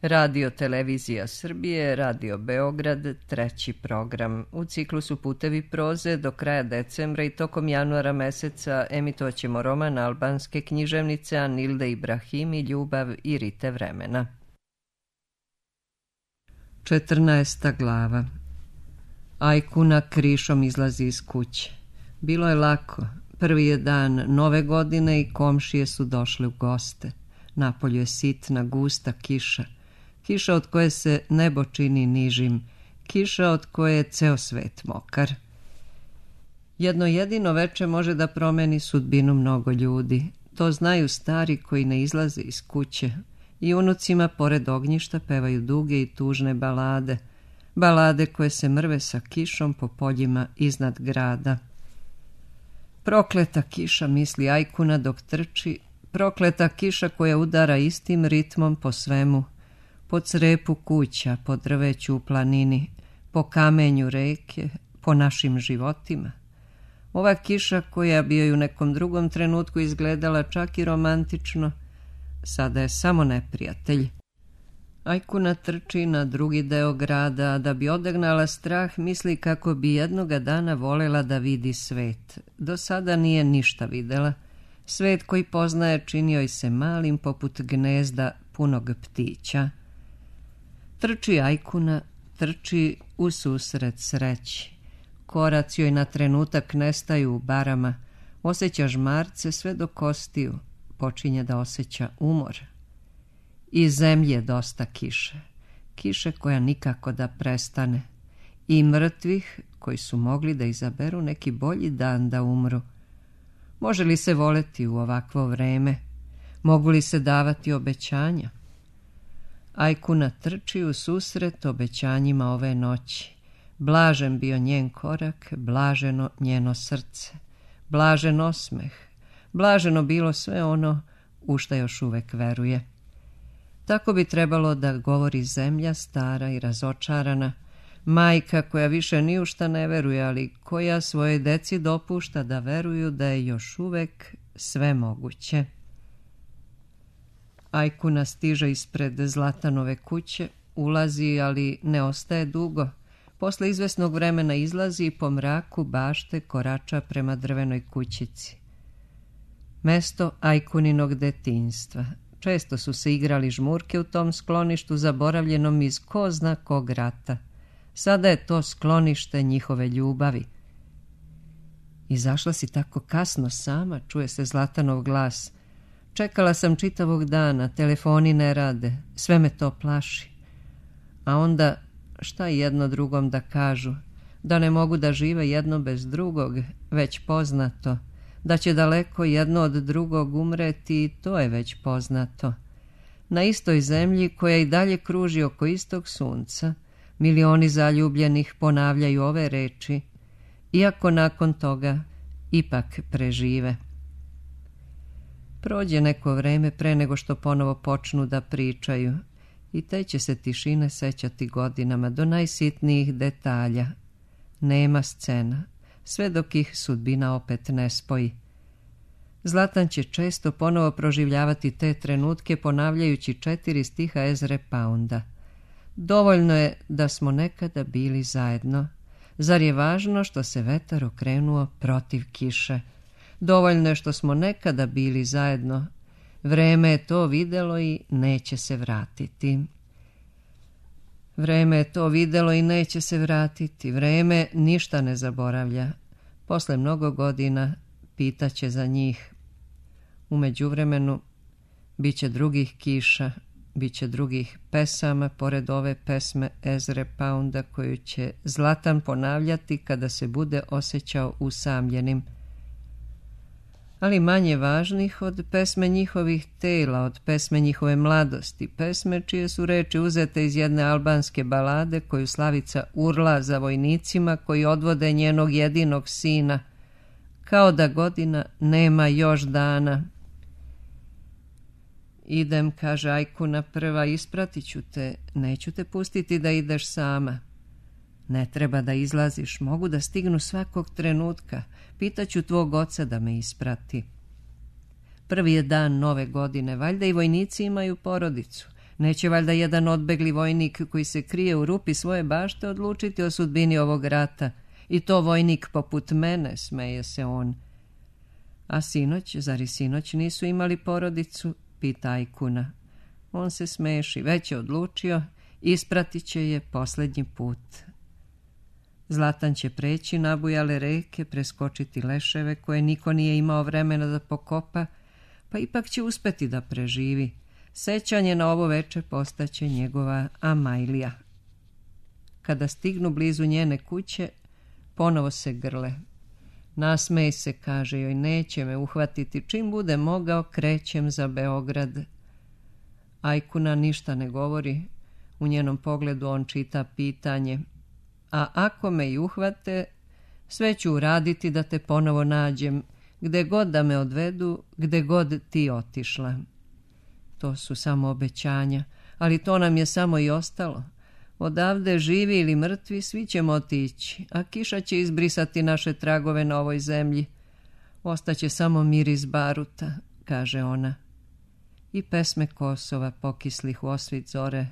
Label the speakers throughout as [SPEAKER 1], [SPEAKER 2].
[SPEAKER 1] Radio Televizija Srbije, Radio Beograd, treći program. U ciklusu Putevi proze do kraja decembra i tokom januara meseca emitovaćemo roman albanske književnice Anilde Ibrahimi Ljubav i rite vremena. 14. glava. Ajkuna krišom izlazi iz kuće. Bilo je lako. Prvi je dan nove godine i komšije su došli u goste. Napolju je sitna, gusta kiša. Kiša od koje se nebo čini nižim. Kiša od koje je ceo svet mokar. Jedno jedino veče može da promeni sudbinu mnogo ljudi. To znaju stari koji ne izlaze iz kuće. I unucima pored ognjišta pevaju duge i tužne balade. Balade koje se mrve sa kišom po poljima iznad grada. Prokleta kiša, misli Ajkuna dok trči. Prokleta kiša koja udara istim ritmom po svemu. Po crepu kuća, po drveću u planini, po kamenju reke, po našim životima. Ova kiša koja bi joj u nekom drugom trenutku izgledala čak i romantično, sada je samo neprijatelj. Ajkuna trči na drugi deo grada, a da bi odagnala strah misli kako bi jednoga dana volela da vidi svet. Do sada nije ništa videla. Svet koji poznaje činio joj se malim poput gnezda punog ptića. Trči Ajkuna, trči u susret sreći. Koraci joj na trenutak nestaju u barama, osjeća žmarce sve do kostiju, počinje da osjeća umor. I zemlje dosta kiše, kiše koja nikako da prestane, i mrtvih koji su mogli da izaberu neki bolji dan da umru. Može li se voleti u ovakvo vreme? Mogu li se davati obećanja? Ajkuna trči u susret obećanjima ove noći. Blažen bio njen korak, blaženo njeno srce, blažen osmeh, blaženo bilo sve ono u šta još uvek veruje. Tako bi trebalo da govori zemlja stara i razočarana, majka koja više ni u šta ne veruje, ali koja svoje deci dopušta da veruju da je još uvek sve moguće. Ajkuna stiže ispred Zlatanove kuće, ulazi, ali ne ostaje dugo. Posle izvesnog vremena izlazi i po mraku bašte korača prema drvenoj kućici. Mesto Ajkuninog detinjstva. Često su se igrali žmurke u tom skloništu zaboravljenom iz ko zna kog rata. Sada je to sklonište njihove ljubavi. Izašla si tako kasno sama, čuje se Zlatanov glas. Čekala sam čitavog dana, telefoni ne rade, sve me to plaši. A onda šta jedno drugom da kažu? Da ne mogu da žive jedno bez drugog, već poznato. Da će daleko jedno od drugog umreti, to je već poznato. Na istoj zemlji koja i dalje kruži oko istog sunca, milioni zaljubljenih ponavljaju ove reči, iako nakon toga ipak prežive. Prođe neko vreme pre nego što ponovo počnu da pričaju i te će se tišine sećati godinama do najsitnijih detalja. Nema scena, sve dok ih sudbina opet ne spoji. Zlatan će često ponovo proživljavati te trenutke ponavljajući 4 stiha Ezre Pounda. Dovoljno je da smo nekada bili zajedno. Zar je važno što se vetar okrenuo protiv kiše? Dovoljno je što smo nekada bili zajedno. Vreme je to videlo i neće se vratiti. Vreme je to videlo i neće se vratiti. Vreme ništa ne zaboravlja. Posle mnogo godina pitaće za njih. U međuvremenu biće drugih kiša, biće drugih pesama pored ove pesme Ezre Pounda koju će Zlatan ponavljati kada se bude osjećao usamljenim. Ali manje važnih od pesme njihovih tela, od pesme njihove mladosti, pesme čije su reči uzete iz jedne albanske balade koju Slavica urla za vojnicima koji odvode njenog jedinog sina, kao da godina nema još dana. Idem, kaže Ajkuna prva, ispratit ću te, neću te pustiti da ideš sama. Ne treba da izlaziš, mogu da stignu svakog trenutka, pitaću tvog oca da me isprati. Prvi je dan nove godine, valjda i vojnici imaju porodicu, Neće valjda jedan odbegli vojnik koji se krije u rupi svoje bašte odlučiti o sudbini ovog rata. I to vojnik poput mene, smeje se on. A sinoć, zar i sinoć nisu imali porodicu? Pita Ajkuna. On se smeši, već je odlučio, ispratit će je posljednji put. Zlatan će preći nabujale reke, preskočiti leševe koje niko nije imao vremena da pokopa, pa ipak će uspeti da preživi. Sećanje na ovo veče postaće njegova Amajlija. Kada stignu blizu njene kuće, ponovo se grle. Nasmej se, kaže joj, neće me uhvatiti, čim bude mogao krećem za Beograd. Ajkuna ništa ne govori, u njenom pogledu on čita pitanje. A ako me i uhvate, sve ću uraditi da te ponovo nađem, gde god da me odvedu, gde god ti otišla. To su samo obećanja, ali to nam je samo i ostalo. Odavde, živi ili mrtvi, svi ćemo otići, a kiša će izbrisati naše tragove na ovoj zemlji. Ostaće samo miris baruta, kaže ona. I pesme Kosova pokislih u osvit zore.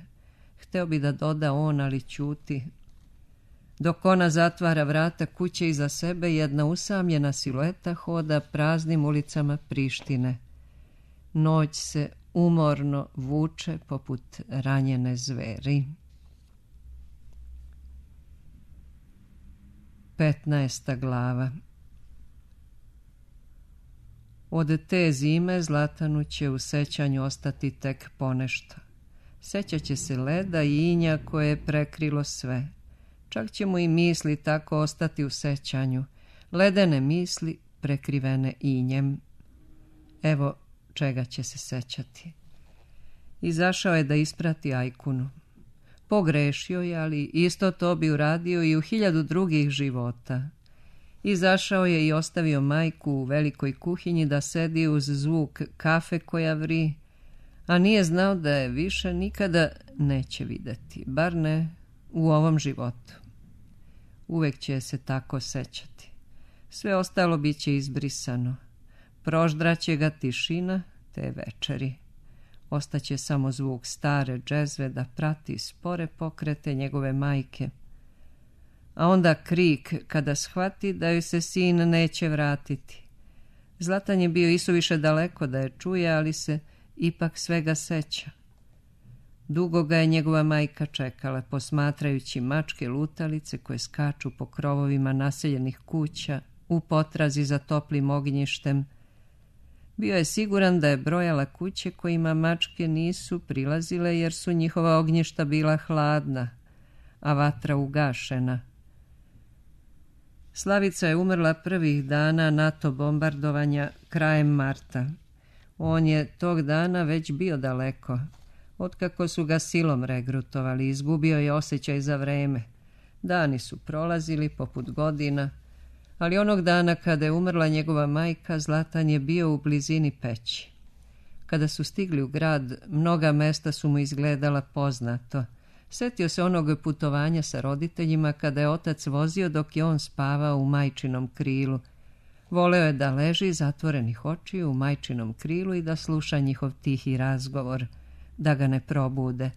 [SPEAKER 1] Hteo bi da doda on, ali ćuti. Dok ona zatvara vrata kuće iza sebe, jedna usamljena silueta hoda praznim ulicama Prištine. Noć se umorno vuče poput ranjene zveri. 15. glava. Od te zime Zlatanu će u sećanju ostati tek ponešto. Sećat će se leda i inja koje je prekrilo sve. Čak će mu i misli tako ostati u sećanju. Ledene misli prekrivene injem. Evo čega će se sećati. Izašao je da isprati Ajkunu. Pogrešio je, ali isto to bi uradio i u 1000 drugih života. Izašao je i ostavio majku u velikoj kuhinji da sedi uz zvuk kafe koja vri, a nije znao da je više nikada neće videti, bar ne u ovom životu. Uvek će se tako sećati. Sve ostalo bit će izbrisano. Proždraće ga tišina te večeri. Ostaće samo zvuk stare džezve da prati spore pokrete njegove majke. A onda krik kada shvati da joj se sin neće vratiti. Zlatan je bio isuviše daleko da je čuje, ali se ipak svega seća. Dugo ga je njegova majka čekala, posmatrajući mačke lutalice koje skaču po krovovima naseljenih kuća u potrazi za toplim ognjištem. Bio je siguran da je brojala kuće kojima mačke nisu prilazile jer su njihova ognjišta bila hladna, a vatra ugašena. Slavica je umrla prvih dana NATO bombardovanja krajem marta. On je tog dana već bio daleko. Otkako su ga silom regrutovali, izgubio je osjećaj za vreme. Dani su prolazili poput godina, ali onog dana kada je umrla njegova majka, Zlatan je bio u blizini Peći. Kada su stigli u grad, mnoga mesta su mu izgledala poznato. Setio se onog putovanja sa roditeljima kada je otac vozio dok je on spavao u majčinom krilu. Voleo je da leži zatvorenih očiju u majčinom krilu i da sluša njihov tihi razgovor, da ga ne probude.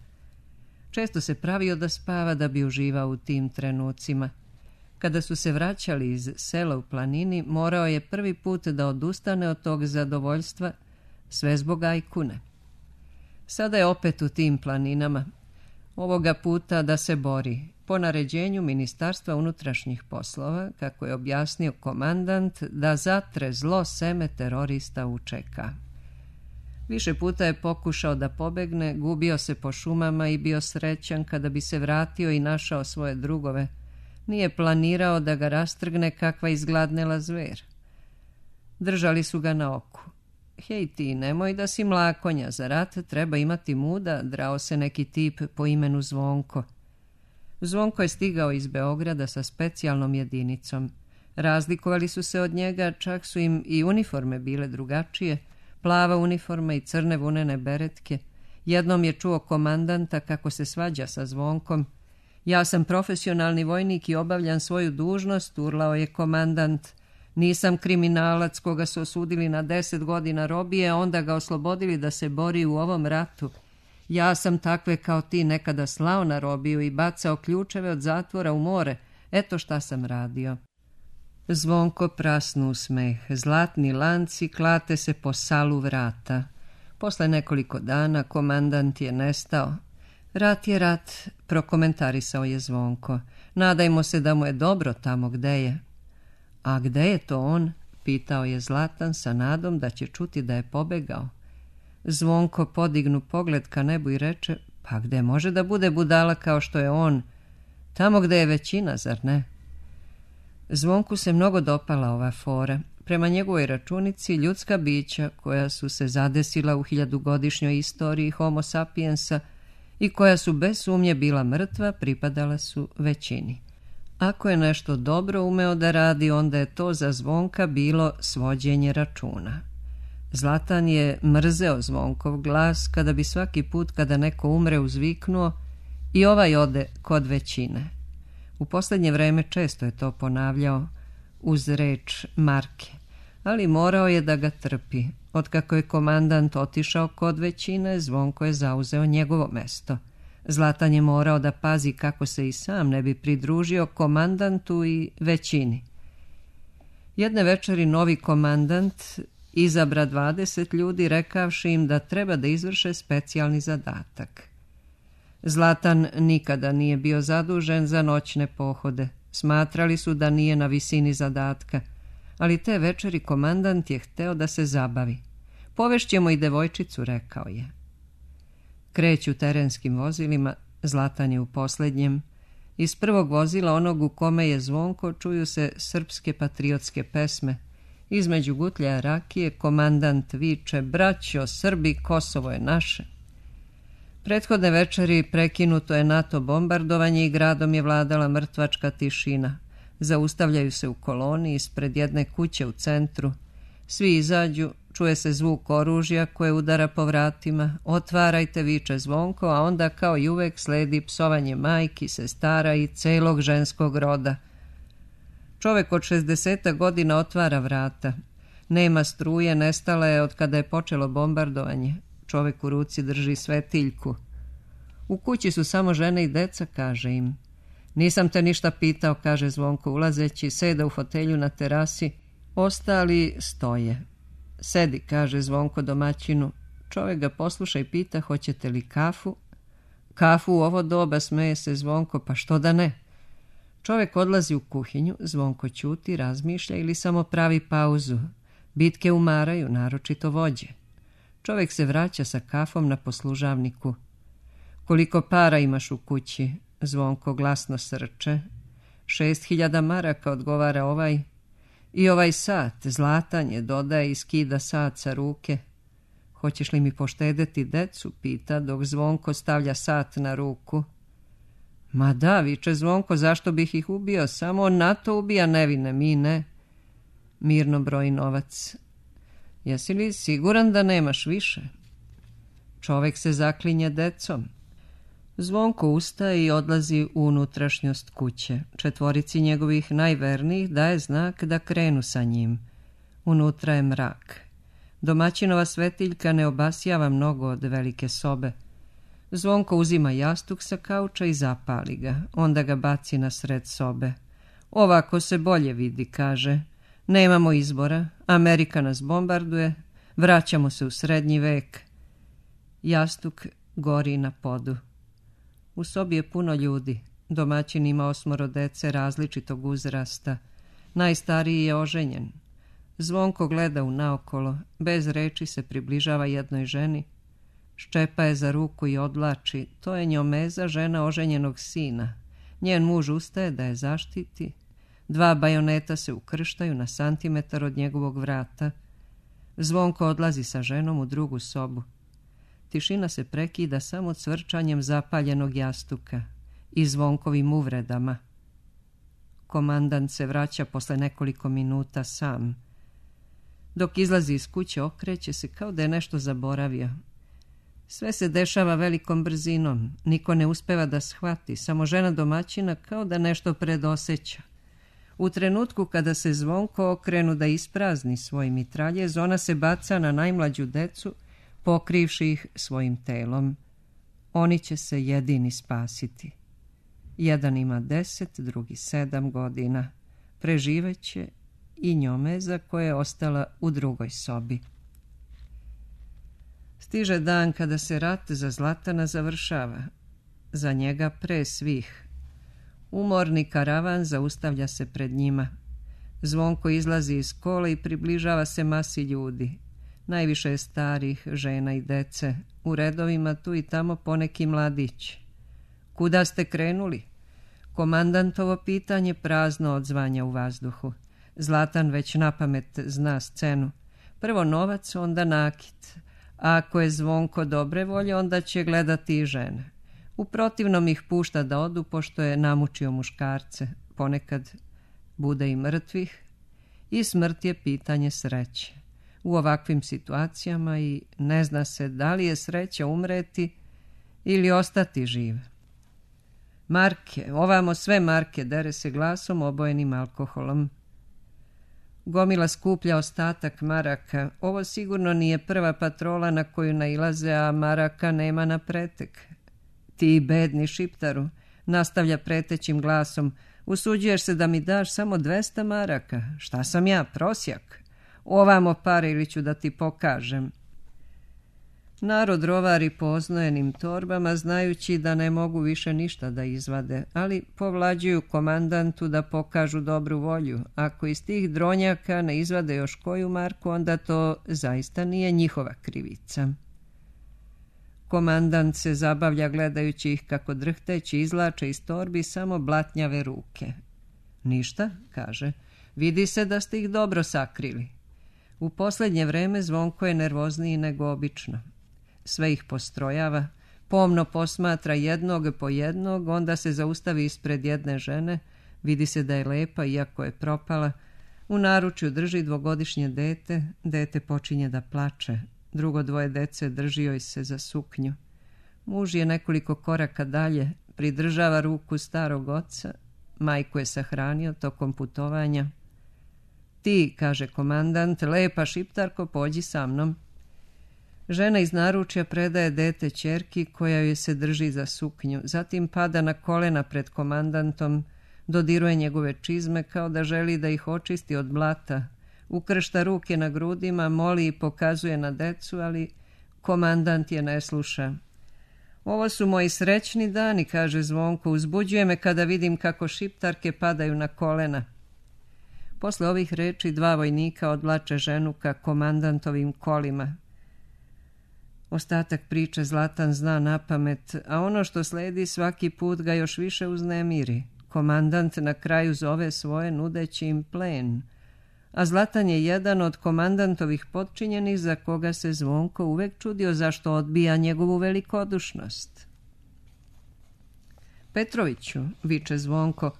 [SPEAKER 1] Često se pravio da spava da bi uživao u tim trenucima. Kada su se vraćali iz sela u planini, morao je prvi put da odustane od tog zadovoljstva, sve zbog Ajkune. Sada je opet u tim planinama, ovoga puta da se bori, po naređenju Ministarstva unutrašnjih poslova, kako je objasnio komandant, da zatre zlo seme terorista UČK. Više puta je pokušao da pobegne, gubio se po šumama i bio srećan kada bi se vratio i našao svoje drugove. Nije planirao da ga rastrgne kakva izgladnela zver. Držali su ga na oku. Hej ti, nemoj da si mlakonja, za rat treba imati muda, drao se neki tip po imenu Zvonko. Zvonko je stigao iz Beograda sa specijalnom jedinicom. Razlikovali su se od njega, čak su im i uniforme bile drugačije, plava uniforma i crne vunene beretke. Jednom je čuo komandanta kako se svađa sa Zvonkom. Ja sam profesionalni vojnik i obavljam svoju dužnost, urlao je komandant. Nisam kriminalac koga su osudili na 10 godina robije, a onda ga oslobodili da se bori u ovom ratu. Ja sam takve kao ti nekada slao na robiju i bacao ključeve od zatvora u more. Eto šta sam radio. Zvonko prasnu u smeh. Zlatni lanci klate se po salu vrata. Posle nekoliko dana komandant je nestao. Rat je rat, prokomentarisao je Zvonko. Nadajmo se da mu je dobro tamo gde je. A gde je to on? Pitao je Zlatan sa nadom da će čuti da je pobegao. Zvonko podignu pogled ka nebu i reče, pa gde može da bude budala kao što je on? Tamo gde je većina, zar ne? Zvonku se mnogo dopala ova fora. Prema njegovoj računici, ljudska bića koja su se zadesila u 1000-godišnjoj istoriji Homo sapiensa i koja su bez sumnje bila mrtva, pripadala su većini. Ako je nešto dobro umeo da radi, onda je to za Zvonka bilo svođenje računa. Zlatan je mrzeo Zvonkov glas kada bi svaki put kada neko umre uzviknuo i ovaj ode kod većine. U posljednje vreme često je to ponavljao uz reč Marke, ali morao je da ga trpi. Otkako je komandant otišao kod većine, Zvonko je zauzeo njegovo mesto. Zlatan je morao da pazi kako se i sam ne bi pridružio komandantu i većini. Jedne večeri novi komandant izabra 20 ljudi rekavši im da treba da izvrše specijalni zadatak. Zlatan nikada nije bio zadužen za noćne pohode. Smatrali su da nije na visini zadatka, ali te večeri komandant je hteo da se zabavi. Povešćemo i devojčicu, rekao je. Kreću terenskim vozilima, Zlatan je u posljednjem. Iz prvog vozila, onog u kome je Zvonko, čuju se srpske patriotske pesme. Između gutljaja rakije komandant viče, braćo, Srbi, Kosovo je naše. Prethodne večeri prekinuto je NATO bombardovanje i gradom je vladala mrtvačka tišina. Zaustavljaju se u koloni ispred jedne kuće u centru. Svi izađu, čuje se zvuk oružja koje udara po vratima. Otvarajte, viče Zvonko, a onda kao i uvek sledi psovanje majki, sestara i celog ženskog roda. Čovek od 60 godina otvara vrata. Nema struje, nestala je od kada je počelo bombardovanje. Čovek u ruci drži svetiljku. U kući su samo žene i deca, kaže im. Nisam te ništa pitao, kaže Zvonko ulazeći, seda u fotelju na terasi. Ostali stoje. Sedi, kaže Zvonko domaćinu. Čovek ga posluša i pita, hoćete li kafu? Kafu u ovo doba, smeje se Zvonko, pa što da ne? Čovek odlazi u kuhinju, Zvonko ćuti, razmišlja ili samo pravi pauzu. Bitke umaraju, naročito vođe. Čovek se vraća sa kafom na poslužavniku. Koliko para imaš u kući? Zvonko glasno srče. 6.000 maraka, odgovara ovaj. I ovaj sat, Zlatan je, dodaje i skida sat sa ruke. Hoćeš li mi poštedeti decu, pita, dok Zvonko stavlja sat na ruku. Ma da, viče Zvonko, zašto bih ih ubio? Samo on NATO ubija nevine, mi ne. Mirno broji novac. Jesi li siguran da nemaš više? Čovek se zaklinje decom. Zvonko ustaje i odlazi u unutrašnjost kuće. Četvorici njegovih najvernijih daje znak da krenu sa njim. Unutra je mrak. Domaćinova svetiljka ne obasjava mnogo od velike sobe. Zvonko uzima jastuk sa kauča i zapali ga. Onda ga baci na sred sobe. Ovako se bolje vidi, kaže. Nemamo izbora. Amerika nas bombarduje. Vraćamo se u srednji vek. Jastuk gori na podu. U sobi je puno ljudi. Domaćin ima 8 dece različitog uzrasta. Najstariji je oženjen. Zvonko gleda u naokolo. Bez reči se približava jednoj ženi. Ščepa je za ruku i odlači. To je Njomeza, žena oženjenog sina. Njen muž ustaje da je zaštiti. 2 bajoneta se ukrštaju na santimetar od njegovog vrata. Zvonko odlazi sa ženom u drugu sobu. Tišina se prekida samo cvrčanjem zapaljenog jastuka i Zvonkovim uvredama. Komandant se vraća posle nekoliko minuta sam. Dok izlazi iz kuće, okreće se kao da je nešto zaboravio. Sve se dešava velikom brzinom. Niko ne uspeva da shvati, samo žena domaćina kao da nešto predoseća. U trenutku kada se Zvonko okrenu da isprazni svoj mitraljez, ona se baca na najmlađu decu, pokrivši ih svojim telom. Oni će se jedini spasiti. Jedan ima 10, drugi 7 godina. Preživeće i Njomeza koja je ostala u drugoj sobi. Stiže dan kada se rat za Zlatana završava. Za njega pre svih. Umorni karavan zaustavlja se pred njima. Zvonko izlazi iz kola i približava se masi ljudi. Najviše je starih, žena i dece. U redovima tu i tamo poneki mladić. Kuda ste krenuli? Komandantovo pitanje prazno odzvanja u vazduhu. Zlatan već napamet zna scenu. Prvo novac, onda nakit. A ako je Zvonko dobre volje, onda će gledati i žene. U protivnom ih pušta da odu, pošto je namučio muškarce. Ponekad bude i mrtvih. I smrt je pitanje sreće. U ovakvim situacijama i ne zna se da li je sreća umreti ili ostati živ. Marke, ovamo sve marke, dere se glasom obojenim alkoholom. Gomila skuplja ostatak maraka. Ovo sigurno nije prva patrola na koju nailaze, a maraka nema na pretek. Ti bedni šiptaru, nastavlja pretećim glasom, usuđuješ se da mi daš samo 200 maraka. Šta sam ja, prosjak? Ovamo pare ili ću da ti pokažem. Narod rovari po oznojenim torbama, znajući da ne mogu više ništa da izvade, ali povlađuju komandantu da pokažu dobru volju. Ako iz tih dronjaka ne izvade još koju marku, onda to zaista nije njihova krivica. Komandant se zabavlja gledajući ih kako drhteći izlače iz torbi samo blatnjave ruke. Ništa, kaže, vidi se da ste ih dobro sakrili. U posljednje vreme Zvonko je nervozniji nego obično. Sve ih postrojava, pomno posmatra jednog po jednog, onda se zaustavi ispred jedne žene, vidi se da je lepa iako je propala, u naručju drži 2-godišnje dete, dete počinje da plače, drugo 2 dece drži joj se za suknju. Muž je nekoliko koraka dalje, pridržava ruku starog oca, majku je sahranio tokom putovanja. Ti, kaže komandant, lepa šiptarko, pođi sa mnom. Žena iz naručja predaje dete ćerki koja joj se drži za suknju, zatim pada na kolena pred komandantom, dodiruje njegove čizme kao da želi da ih očisti od blata, ukršta ruke na grudima, moli i pokazuje na decu, ali komandant je ne sluša. Ovo su moji srećni dani, kaže Zvonko, uzbuđuje me kada vidim kako šiptarke padaju na kolena. Posle ovih reči 2 vojnika odvlače ženu ka komandantovim kolima. Ostatak priče Zlatan zna napamet, a ono što sledi svaki put ga još više uznemiri. Komandant na kraju zove svoje nudeći im plen, a Zlatan je jedan od komandantovih potčinjenih za koga se Zvonko uvek čudio zašto odbija njegovu velikodušnost. Petroviću, viče Zvonko,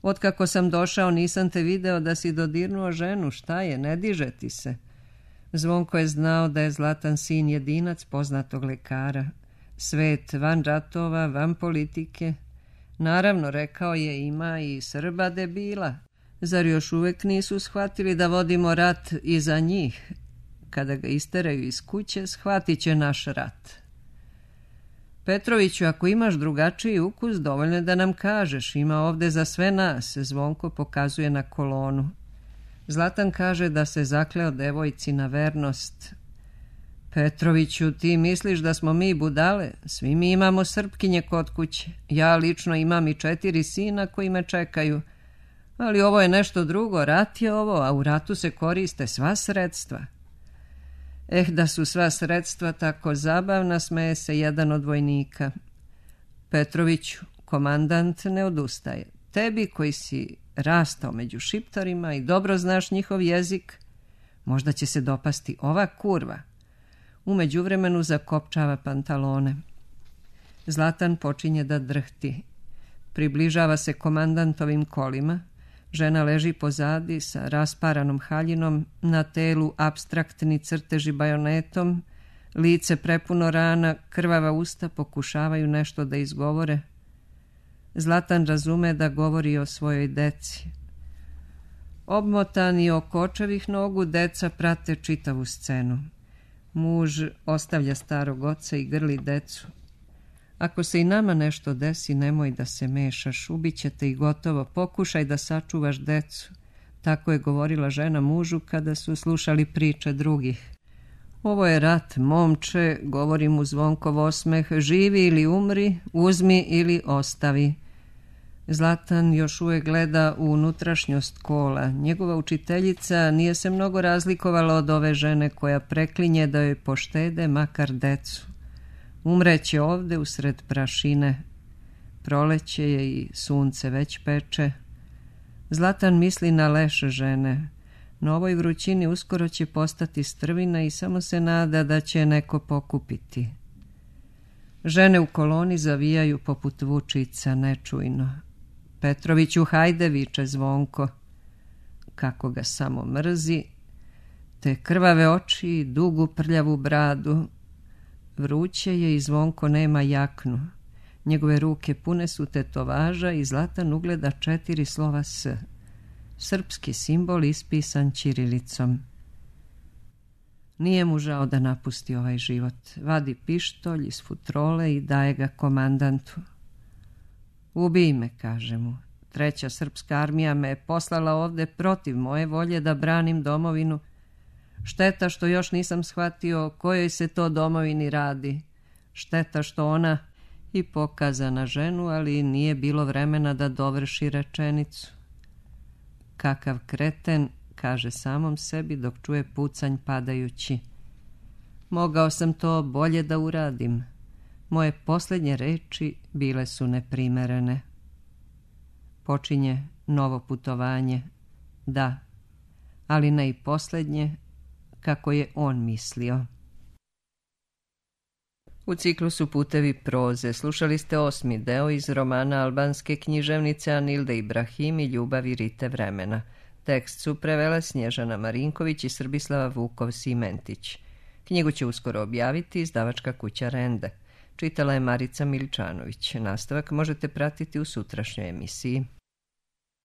[SPEAKER 1] otkako sam došao nisam te video da si dodirnuo ženu, šta je, ne diže ti se. Zvonko je znao da je Zlatan sin jedinac poznatog lekara. Svet van ratova, van politike. Naravno, rekao je, ima i Srba debila. Zar još uvek nisu shvatili da vodimo rat i za njih? Kada ga isteraju iz kuće, shvatit će naš rat. Petroviću, ako imaš drugačiji ukus, dovoljno je da nam kažeš. Ima ovde za sve nas, Zvonko pokazuje na kolonu. Zlatan kaže da se zakleo devojci na vernost. Petroviću, ti misliš da smo mi budale? Svi mi imamo Srpkinje kod kuće. Ja lično imam i 4 sina koji me čekaju. Ali ovo je nešto drugo, rat je ovo, a u ratu se koriste sva sredstva. Da su sva sredstva tako zabavna, smeje se jedan od vojnika. Petroviću, komandant ne odustaje. Tebi koji si rastao među šiptarima i dobro znaš njihov jezik, možda će se dopasti ova kurva. U međuvremenu zakopčava pantalone. Zlatan počinje da drhti. Približava se komandantovim kolima. Žena leži pozadi sa rasparanom haljinom, na telu apstraktni crteži bajonetom, lice prepuno rana, krvava usta pokušavaju nešto da izgovore. Zlatan razume da govori o svojoj deci. Obmotani oko očevih nogu, deca prate čitavu scenu. Muž ostavlja starog oca i grli decu. Ako se i nama nešto desi, nemoj da se mešaš, ubiće te i gotovo, pokušaj da sačuvaš decu. Tako je govorila žena mužu kada su slušali priče drugih. Ovo je rat, momče, govori mu Zvonkov osmeh, živi ili umri, uzmi ili ostavi. Zlatan još uvijek gleda u unutrašnjost kola. Njegova učiteljica nije se mnogo razlikovala od ove žene koja preklinje da joj poštede makar decu. Umreće ovde usred prašine. Proleće je i sunce već peče. Zlatan misli na leš žene. Na ovoj vrućini uskoro će postati strvina i samo se nada da će neko pokupiti. Žene u koloni zavijaju poput vučica nečujno. Petroviću, hajde, viče Zvonko. Kako ga samo mrzi, te krvave oči i dugu prljavu bradu. Vruće je i Zvonko nema jaknu. Njegove ruke pune su tetovaža i Zlatan ugleda 4 slova S. Srpski simbol ispisan ćirilicom. Nije mu žao da napusti ovaj život. Vadi pištolj iz futrole i daje ga komandantu. Ubij me, kaže mu. 3. srpska armija me je poslala ovde protiv moje volje da branim domovinu. Šteta što još nisam shvatio o kojoj se to domovini radi. Šteta što ona i pokaza na ženu, ali nije bilo vremena da dovrši rečenicu. Kakav kreten, kaže samom sebi dok čuje pucanj padajući. Mogao sam to bolje da uradim. Moje posljednje reči bile su neprimerene. Počinje novo putovanje, da, ali ne i posljednje, kako je on mislio. U ciklusu Putevi proze slušali ste 8. deo iz romana albanske književnice Anilde Ibrahim i Ljubavi Rite vremena. Tekst su prevele Snježana Marinković i Srbislava Vukov-Simentić. Knjigu će uskoro objaviti izdavačka kuća Rende. Čitala je Marica Miličanović. Nastavak možete pratiti u sutrašnjoj emisiji.